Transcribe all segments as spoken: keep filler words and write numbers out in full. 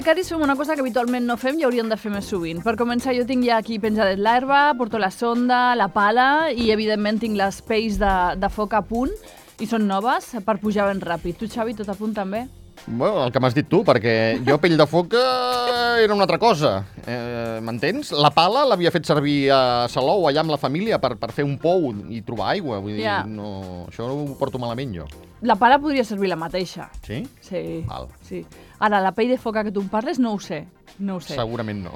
becaris fem una cosa que habitualment no fem i hauríem de fer més sovint. Per començar, jo tinc ja aquí penjades l'herba, porto la sonda, la pala i, evidentment, tinc les pells de, de foc a punt i són noves per pujar ben ràpid. Tu, Xavi, tot a punt també? Bueno, el que m'has dit tu, perquè jo pell de foc eh, era una altra cosa. Eh, M'entens? La pala l'havia fet servir a Salou, allà amb la família, per, per fer un pou i trobar aigua. Vull dir, Ja. no, això ho porto malament, jo. La pala podria servir la mateixa. Sí? Sí. Val. Sí. Ara, la pell de foca que tu em parles, no ho sé. No ho sé. Segurament no.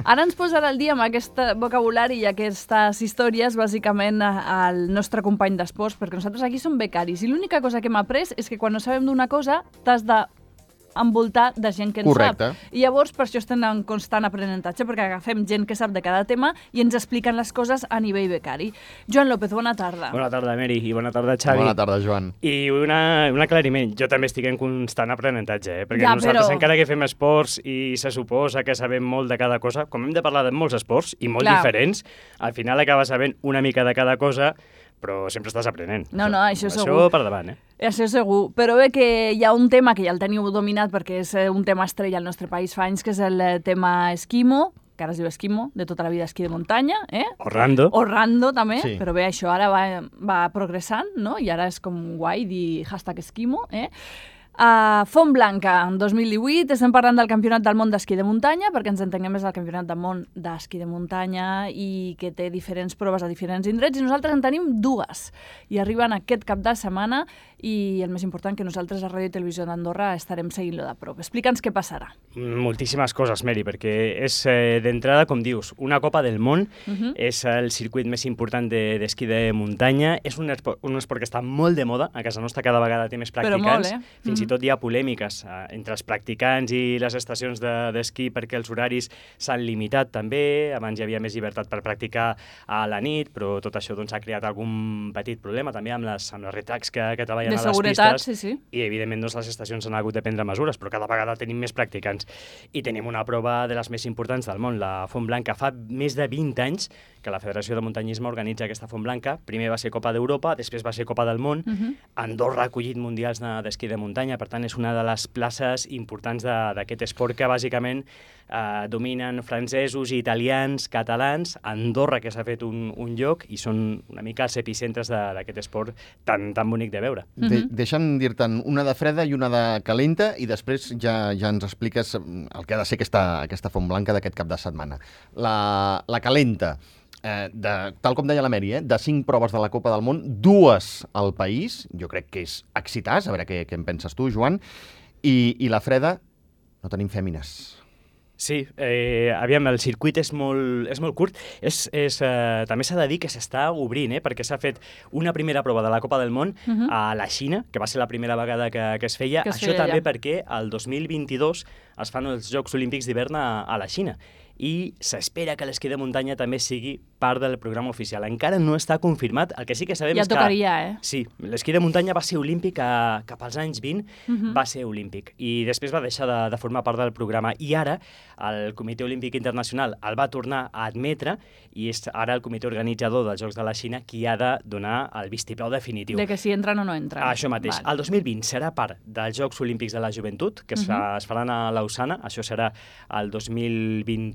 Ara ens posarà al dia amb aquest vocabulari i aquestes històries, bàsicament, al nostre company d'esports, perquè nosaltres aquí som becaris i l'única cosa que hem après és que quan no sabem d'una cosa t'has de envoltar de gent que en Correcte. sap. I llavors per això estem en constant aprenentatge, perquè agafem gent que sap de cada tema i ens expliquen les coses a nivell becari. Joan López, bona tarda. Bona tarda, Meri, i bona tarda, Xavi. Bona tarda, Joan. I una, un aclariment, jo també estic en constant aprenentatge, eh? perquè Ja, nosaltres, però- encara que fem esports i se suposa que sabem molt de cada cosa, com hem de parlar de molts esports i molt Clar. diferents, al final acabes sabent una mica de cada cosa, però sempre estàs aprenent. No, no, això això segur. per davant, eh? Això segur, però bé que hi ha un tema que ja el teniu dominat perquè és eh, un tema estrella al nostre país fa anys, que és el eh, tema esquimo, que ara es diu esquimo, de tota la vida esquí de muntanya, eh? Orlando. Orlando també, Sí. però bé, això ara va, va progressant, no? I ara és com guai dir hashtag esquimo, eh? Uh, Font Blanca, en dos mil divuit, estem parlant del Campionat del Món d'Esquí de Muntanya, perquè ens entenguem més del Campionat del Món d'Esquí de Muntanya i que té diferents proves a diferents indrets, i nosaltres en tenim dues. I arriben aquest cap de setmana i el més important, que nosaltres a Ràdio i Televisió d'Andorra estarem seguint-lo de prop. Explica'ns què passarà. Moltíssimes coses, Meri, perquè és eh, d'entrada, com dius, una Copa del Món, Uh -huh. és el circuit més important de- d'esquí de, de muntanya, és un esport, un esport que està molt de moda, a casa nostra cada vegada té més Però practicants, molt, eh? fins Mhm. i tot hi ha polèmiques eh, entre els practicants i les estacions de- d'esquí perquè els horaris s'han limitat també, abans hi havia més llibertat per practicar a la nit, però tot això doncs, ha creat algun petit problema també amb les, amb les retracts que, que treballen De a les seguretat, pistes, sí, sí. i evidentment doncs, les estacions han hagut de prendre mesures, però cada vegada tenim més practicants. I tenim una prova de les més importants del món, la Font Blanca. Fa més de vint anys que la Federació de Muntanyisme organitza aquesta Font Blanca. Primer va ser Copa d'Europa, després va ser Copa del Món. Uh -huh. Andorra ha acollit mundials de- d'esquí de muntanya, per tant és una de les places importants de- d'aquest esport que bàsicament eh, dominen francesos, italians, catalans, Andorra, que s'ha fet un, un lloc, i són una mica els epicentres de- d'aquest esport tan, tan bonic de veure. De, deixa'm dir-te'n una de freda i una de calenta i després ja, ja ens expliques el que ha de ser aquesta, aquesta Font Blanca d'aquest cap de setmana. La, la calenta, eh, de, tal com deia la Meri, eh, de cinc proves de la Copa del Món, dues al país, jo crec que és excitàs, a veure què, què en penses tu, Joan, i, i la freda, no tenim fèmines. Sí, eh, aviam, el circuit és molt, és molt curt. És, és, eh, també s'ha de dir que s'està obrint, eh, perquè s'ha fet una primera prova de la Copa del Món Uh -huh. a la Xina, que va ser la primera vegada que, que es feia. Que es Això feia també allà. perquè el dos mil vint-i-dos es fan els Jocs Olímpics d'hivern a, a la Xina i s'espera que l'esquí de muntanya també sigui part del programa oficial. Encara no està confirmat, el que sí que sabem Ja és que... tocaria, eh? Sí, l'esquí de muntanya va ser olímpic a, cap als anys vint, Uh -huh. va ser olímpic, i després va deixar de, de formar part del programa, i ara el Comitè Olímpic Internacional el va tornar a admetre, i és ara el comitè organitzador dels Jocs de la Xina qui ha de donar el vistiplau definitiu. De que si entren o no entren. Això mateix. Val. El dos mil vint serà part dels Jocs Olímpics de la Joventut, que es, Mhm. fa, es faran a Lausana, això serà el dos mil vint,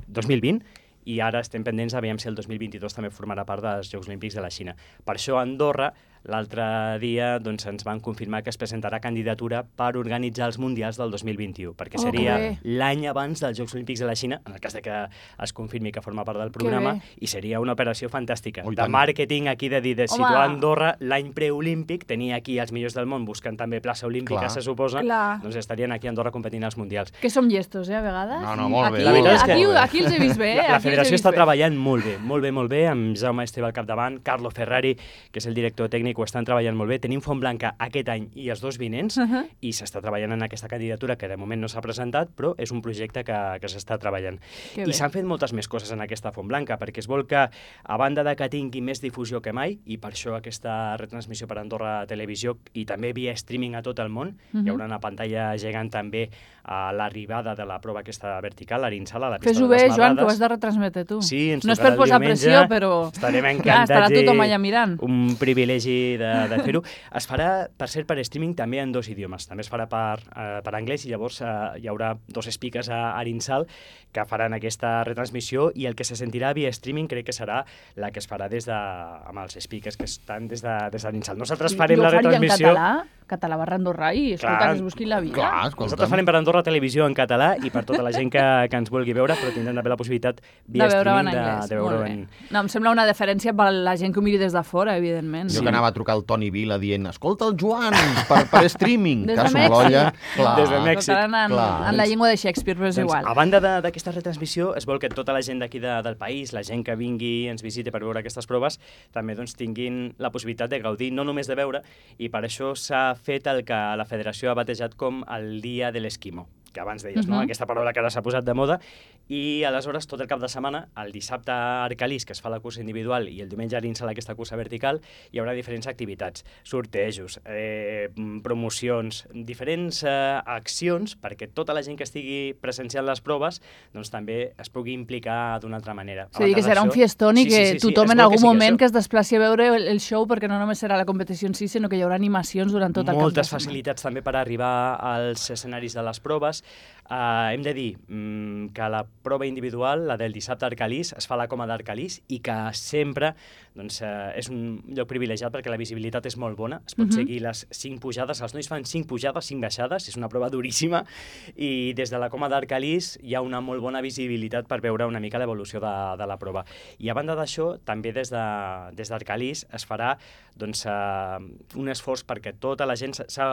dos mil vint, i ara estem pendents aviam si el dos mil vint-i-dos també formarà part dels Jocs Olímpics de la Xina. Per això a Andorra, l'altre dia, doncs, ens van confirmar que es presentarà candidatura per organitzar els Mundials del dos mil vint-i-u, perquè Oh, seria que bé. l'any abans dels Jocs Olímpics de la Xina, en el cas de que es confirmi que forma part del Que programa, bé. i seria una operació fantàstica. Oh, i de tant. màrqueting aquí, de dir, de Home. situar Andorra l'any preolímpic, tenir aquí els millors del món buscant també plaça olímpica, Clar. se suposa, Clar. doncs estarien aquí a Andorra competint als Mundials. Que som llestos, eh, a vegades? No, no, molt bé. Aquí, La veritat és que- aquí, aquí els he vist bé, eh? La, la Aquí els he federació vist està bé. treballant molt bé, molt bé, molt bé, amb Jaume Esteve al capdavant, Carlo Ferrari, que és el director tècnic, ho estan treballant molt bé. Tenim Font Blanca aquest any i els dos vinents, Uh -huh. i s'està treballant en aquesta candidatura, que de moment no s'ha presentat, però és un projecte que, que s'està treballant. Que I bé. s'han fet moltes més coses en aquesta Font Blanca, perquè es vol que, a banda de que tingui més difusió que mai, i per això aquesta retransmissió per Andorra Televisió, i també via streaming a tot el món, Uh -huh. hi haurà una pantalla gegant també a l'arribada de la prova aquesta vertical, a l'Insala, la pista Fes-ho de les bé, Joan, que ho Marrades. has de retransmetre tu. Sí, ens no és tocarà per el posar diumenge. pressió, però... Estarem Clar, encantats. estarà i tothom allà mirant. Un privilegi gaudi de, de fer-ho. Es farà, per cert, per streaming també en dos idiomes. També es farà per, uh, per anglès i llavors uh, hi haurà dos speakers a Arinsal que faran aquesta retransmissió i el que se sentirà via streaming crec que serà la que es farà des de, amb els speakers que estan des de, des d'Arinsal. Nosaltres farem la retransmissió... Jo ho faria en català, català barra Andorra i escolta, Clar, que es busquin la vida. Clar, escolta'm. Nosaltres farem per Andorra Televisió en català i per tota la gent que, que ens vulgui veure, però tindrem també la possibilitat via de veure-ho en streaming anglès. de, de veure-ho Molt en... bé. No, em sembla una deferència per la gent que ho miri des de fora, evidentment. Jo Sí. que anava a trucar al Toni Vila dient escolta el Joan per, per streaming, Des que de som l'olla. Mèxic. Clar. Des de Mèxic. Tocaran en, Clar. en la llengua de Shakespeare, però és Doncs, igual. a banda de- d'aquesta retransmissió, es vol que tota la gent d'aquí de, del país, la gent que vingui, ens visiti per veure aquestes proves, també doncs, tinguin la possibilitat de gaudir, no només de veure, i per això s'ha fet el que la federació ha batejat com el Dia de l'Esquimo, que abans deies, no? Mhm. Aquesta paraula que ara s'ha posat de moda, i aleshores tot el cap de setmana, el dissabte a Arcalís, que es fa la cursa individual, i el diumenge a Arinsal, aquesta cursa vertical, hi haurà diferents activitats, sortejos, eh, promocions, diferents eh, accions perquè tota la gent que estigui presenciant les proves doncs també es pugui implicar d'una altra manera. És a dir, que serà un fiestón i que tothom en algun moment que es desplaci a veure el, el show, perquè no només serà la competició en si, sinó que hi haurà animacions durant tot el cap de Moltes setmana. facilitats també per arribar als escenaris de les proves. Uh, hem de dir mm, que la prova individual, la del dissabte a Arcalís, es fa a la Coma d'Arcalís i que sempre doncs, uh, és un lloc privilegiat perquè la visibilitat és molt bona. Es pot Mhm. seguir les cinc pujades. Els nois fan cinc pujades, cinc baixades. És una prova duríssima i des de la Coma d'Arcalís hi ha una molt bona visibilitat per veure una mica l'evolució de, de la prova. I a banda d'això, també des de, des d'Arcalís es farà doncs, uh, un esforç perquè tota la gent s'ha- s'ha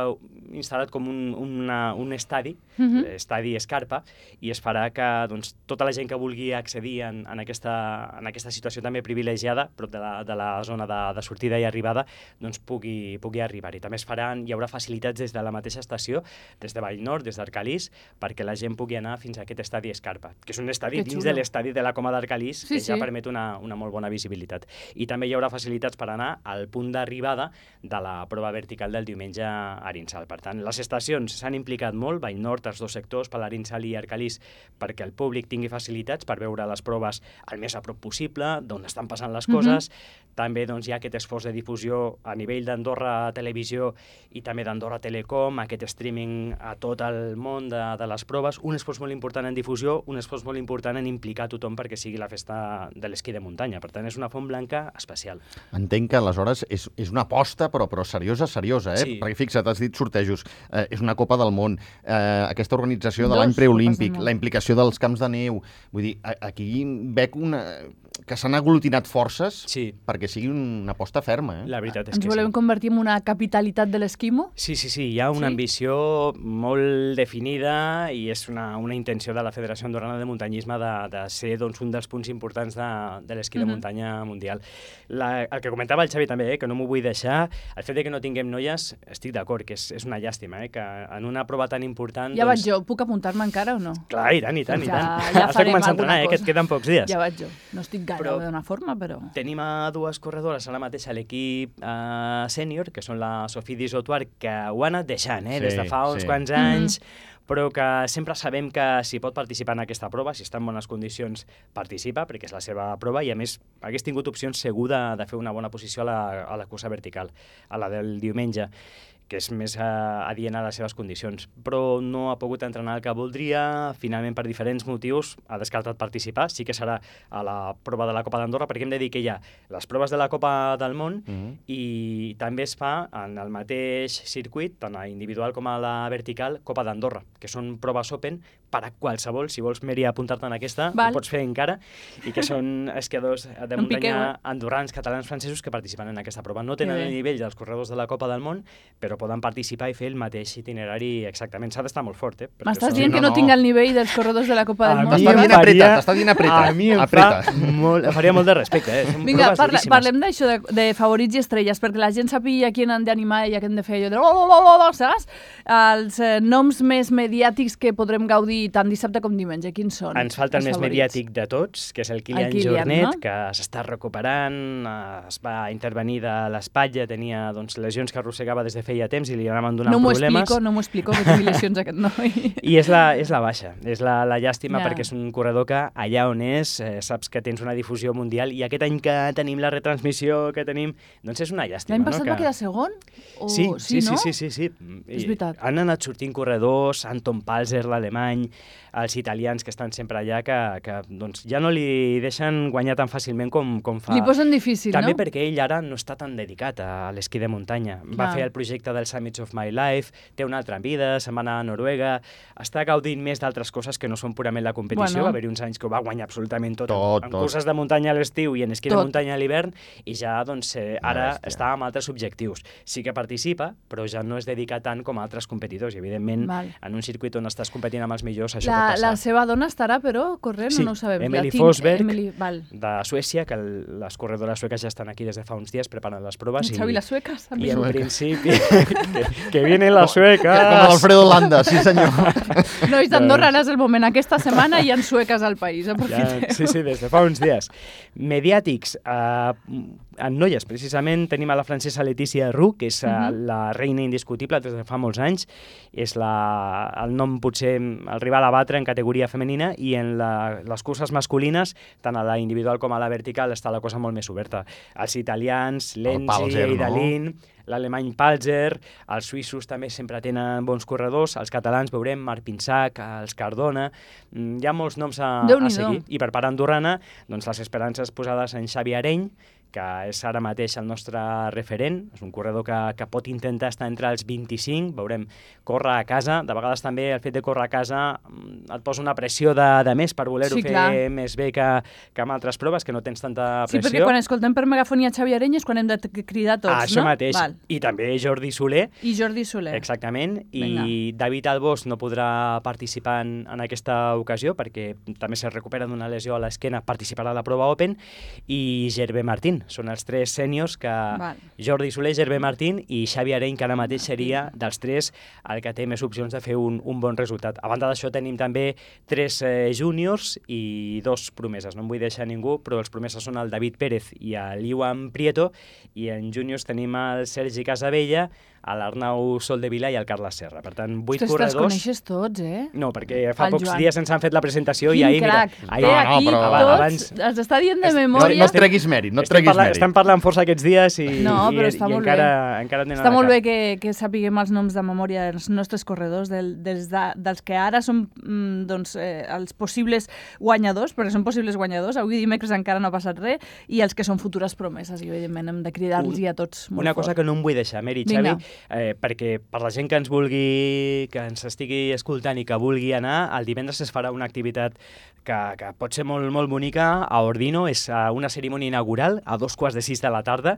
instal·lat com un, una, un estadi, Mhm. estadi Escarpa, i es farà que doncs, tota la gent que vulgui accedir en, en, aquesta, en aquesta situació també privilegiada, prop de la, de la zona de, de sortida i arribada, doncs pugui, pugui arribar-hi. També es faran, hi haurà facilitats des de la mateixa estació, des de Vallnord, des d'Arcalís, perquè la gent pugui anar fins a aquest estadi Escarpa, que és un estadi Que dins xulo. de l'estadi de la Coma d'Arcalís, Sí, que ja sí. permet una, una molt bona visibilitat. I també hi haurà facilitats per anar al punt d'arribada de la prova vertical del diumenge a Arinsal. Per tant, les estacions s'han implicat molt, Vallnord, els dos sectors, per l'Arinsal i Arcalís, perquè el públic tingui facilitats per veure les proves el més a prop possible, d'on estan passant les coses. També doncs, hi ha aquest esforç de difusió a nivell d'Andorra Televisió i també d'Andorra Telecom, aquest streaming a tot el món de, de les proves, un esforç molt important en difusió, un esforç molt important en implicar tothom perquè sigui la festa de l'esquí de muntanya. Per tant, és una font blanca especial. Entenc que aleshores és, és una aposta, però, però seriosa, seriosa, eh? Sí. Perquè fixa't, has dit sortejos, eh, és una Copa del Món, eh, aquesta organització de Dos l'any Copes del preolímpic, Món. la implicació dels camps de neu, vull dir, a, aquí veig una, que s'han aglutinat forces Sí, perquè sigui una aposta ferma, eh? la veritat és Ens que volem sí. convertir en una capitalitat de l'esquimo? Sí, sí, sí, hi ha una Sí? ambició molt definida i és una, una intenció de la Federació Andorrana de Muntanyisme de, de ser doncs, un dels punts importants de, de l'esquí de Mhm. muntanya mundial. La, el que comentava el Xavi també, eh, que no m'ho vull deixar, el fet de que no tinguem noies, estic d'acord, que és, és una llàstima, eh, que en una prova tan important... Ja doncs, vaig jo, puc apuntar-me encara o no? Clar, i tant, i tant, i Ja- tant. ja Has de farem començar a alguna entrenar, eh, que et cosa. queden pocs dies. Ja vaig jo. No estic gaire Però- d'una forma, però... Tenim a dues corredores ara mateix a l'equip eh, sènior, que són la Sofia Disotuar, que ho ha anat deixant, eh, Sí, des de fa uns sí. quants anys, però que sempre sabem que si pot participar en aquesta prova, si està en bones condicions, participa, perquè és la seva prova, i a més hagués tingut opcions segur de, de fer una bona posició a la, a la cursa vertical, a la del diumenge, que és més eh, adient a les seves condicions, però no ha pogut entrenar el que voldria, finalment per diferents motius ha descartat participar, sí que serà a la prova de la Copa d'Andorra, perquè hem de dir que hi ha les proves de la Copa del Món Mhm. i també es fa en el mateix circuit, tant a individual com a la vertical, Copa d'Andorra, que són proves open per a qualsevol, si vols, Meri, apuntar-te en aquesta, Val. ho pots fer encara, i que són esquiadors de No em piqueu, muntanya eh? andorrans, catalans, francesos que participen en aquesta prova. No tenen Que bé. el nivell dels corredors de la Copa del Món, però poden participar i fer el mateix itinerari exactament. S'ha d'estar molt fort, eh? perquè M'estàs són- dient no, que no, no. tinc el nivell dels corredors de la Copa del A Món? mi T'està em dient faria- apreta, t'està dient apreta. A mi em apreta. fa molt, em faria molt de respecte, eh? Són Vinga, proves parla, duríssimes. parlem d'això de, de favorits i estrelles, perquè la gent sàpiga a qui han d'animar i a qui hem de fer allò de oh, oh, oh, oh, saps? Els eh, noms més mediàtics que podrem gaudir dir tant dissabte com diumenge? Quins són? Ens falta el els més favorits? mediàtic de tots, que és el Kilian, El Kilian, Jornet, no? que s'està recuperant, eh, es va intervenir de l'espatlla, tenia doncs, lesions que arrossegava des de feia temps i li anaven donant no m'ho problemes. explico, no m'ho explico, que tingui lesions aquest noi. I és la, és la baixa, és la, la llàstima, Ja. perquè és un corredor que allà on és, eh, saps que tens una difusió mundial, i aquest any que tenim la retransmissió que tenim, doncs és una llàstima. L'any passat no? va que... quedar segon? O... Sí, sí, no? sí, sí, sí, sí. És I veritat. han anat sortint corredors, Anton Palzer, l'alemany, els italians que estan sempre allà, que, que doncs, ja no li deixen guanyar tan fàcilment com, com fa. Li posen difícil, També no? perquè ell ara no està tan dedicat a l'esquí de muntanya. Va Clar. fer el projecte del Summits of My Life, té una altra vida, se'n va anar a Noruega, està gaudint més d'altres coses que no són purament la competició. Bueno. Va haver-hi uns anys que ho va guanyar absolutament tot, Tot, en, en tot. curses de muntanya a l'estiu i en esquí Tot. de muntanya a l'hivern, i ja doncs, eh, ara Bèstia. està amb altres objectius. Sí que participa, però ja no es dedica tant com a altres competidors, i evidentment Val. en un circuit on estàs competint amb els millors això La, pot passar. la seva dona estarà, però, corrent Sí, o no ho sabem? Emily La Tim- Forsberg. Emily, val. De Suècia, que el, les corredores sueques ja estan aquí des de fa uns dies preparant les proves. Xavi, les sueques. I en Sueca. principi... que, que vienen les sueques! Com l'Alfredo Landa, sí senyor. Nois d'Andorra, ara és el moment. Aquesta setmana hi ha sueques al país, aprofiteu. Ja, sí, sí, des de fa uns dies. Mediàtics. Uh, en noies, precisament, tenim a la francesa Letícia Roux, que és uh, Mhm. la reina indiscutible des de fa molts anys. És la, el nom, potser, el rival a batre en categoria femenina, i en la, les curses masculines, tant a la individual com a la vertical, està la cosa molt més oberta. Els italians, Lenzi, Palzer, no? Eidalin, l'alemany Palzer, els suïssos també sempre tenen bons corredors, els catalans veurem Marc Pinsac, els Cardona, mm, hi ha molts noms a, a Déu-n'hi-do. seguir. I per part andorrana, doncs les esperances posades en Xavi Areny, que és ara mateix el nostre referent, és un corredor que, que pot intentar estar entre els vint-i-cinc, veurem, córrer a casa, de vegades també el fet de córrer a casa mm, et posa una pressió de, de més per voler-ho Sí, fer clar. més bé que, que amb altres proves, que no tens tanta Sí, pressió. perquè quan escoltem per megafonia Xavi Areny és quan hem de t- cridar tots, Ah, això no? mateix. Val. I també Jordi Soler, I Jordi Soler. exactament, i Vinga. David Albós no podrà participar en, en aquesta ocasió perquè també se recupera d'una lesió a l'esquena, participarà a la prova Open, i Gervé Martín. Són els tres sèniors que Val. Jordi Soler, Gervé Martín i Xavi Areny, que ara mateix seria dels tres el que té més opcions de fer un, un bon resultat. A banda d'això tenim també tres eh, júniors i dos promeses. No em vull deixar ningú, però els promeses són el David Pérez i l'Iwan Prieto, i en júniors tenim el Sergi Casabella, l'Arnau Soldevila i el Carles Serra. Per tant, vuit Ostres, te'ls corredors... coneixes tots, eh? No, perquè fa El pocs Joan. dies ens han fet la presentació i Quin ahir, crac. mira... Té Ahir, No, no, aquí però tots, abans- els està dient de Es- No, memòria. no et treguis mèrit, no et estem, treguis parlant, mèrit. estem parlant força aquests dies i, No, i, però està i molt encara, bé. encara tenen Està a la molt cap. bé que, que sapiguem els noms de memòria dels nostres corredors, del, dels, de, dels que ara són mm, doncs, eh, els possibles guanyadors, perquè són possibles guanyadors, avui dimecres encara no ha passat res, i els que són futures promeses, i evidentment hem de cridar-los a tots molt Una fort. cosa que no em vull deixar, Meri, Vinga. Xavi, eh, perquè per la gent que ens vulgui, que ens estigui escoltant i que vulgui anar, el divendres es farà una activitat que, que pot ser molt, molt bonica a Ordino. És uh, una cerimònia inaugural a dos quarts de sis de la tarda.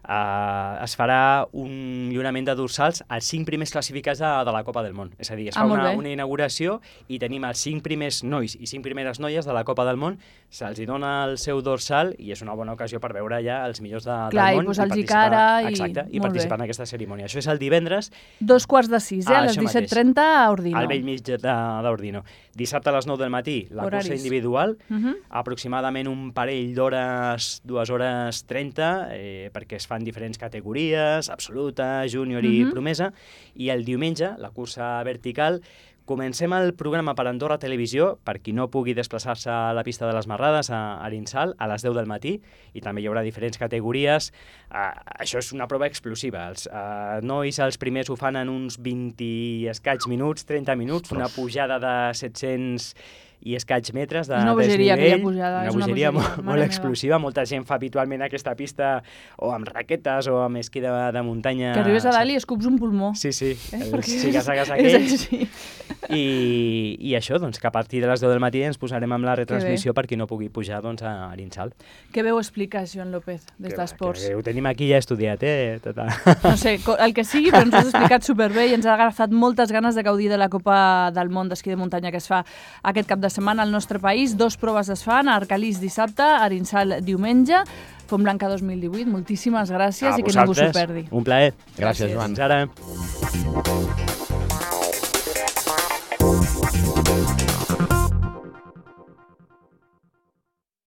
Uh, es farà un lliurament de dorsals als cinc primers classificats de, de la Copa del Món. És a dir, es Ah, fa molt una, bé. una inauguració i tenim els cinc primers nois i cinc primeres noies de la Copa del Món, se'ls hi dona el seu dorsal i és una bona ocasió per veure ja els millors de, Clar, i del món. posar-los participar- cara i- Exacte, i molt participar bé. en aquesta cerimònia. Això és el divendres, Dos quarts de sis, eh? Ah, A les això mateix. disset trenta a Ordino. al vell mig de- d'Ordino. Dissabte a les nou del matí, la Horaris. cursa individual, Uh -huh. aproximadament un parell d'hores, dues hores trenta, eh, perquè es fan diferents categories, absoluta, júnior i Mhm. promesa, i el diumenge, la cursa vertical, comencem el programa per Andorra Televisió, per qui no pugui desplaçar-se a la pista de les Marrades, a Arinsal, a les deu del matí, i també hi haurà diferents categories. Uh, això és una prova explosiva. Els uh, nois, els primers ho fan en uns vint i escaig minuts, trenta minuts, una pujada de set-cents i escaig metres de És una bogeria, desnivell. aquella pujada, Una és una bogeria bogeria, molt, mare molt meva. explosiva. Molta gent fa habitualment aquesta pista o amb raquetes o amb esquí de, de muntanya. Que arribes a dalt i escups un pulmó. Sí, sí, Eh? els Perquè xiques-agues és aquells. així. I, I això, doncs, que a partir de les deu del matí ens posarem amb la retransmissió per qui no pugui pujar doncs, a Arinsal. Què veu explicar, Joan López, des Que va, d'Esports? que Ho tenim aquí ja estudiat, eh? Tota... No sé, co- el que sigui, però ens ho has explicat superbé i ens ha agafat moltes ganes de gaudir de la Copa del Món d'esquí de muntanya que es fa aquest cap de setmana al nostre país. Dos proves es fan, a Arcalís dissabte, a Arinsal diumenge, Font Blanca dos mil divuit. Moltíssimes gràcies A i que ningú s'ho vosaltres, perdi. un plaer. Gràcies, Joan. Fins ara.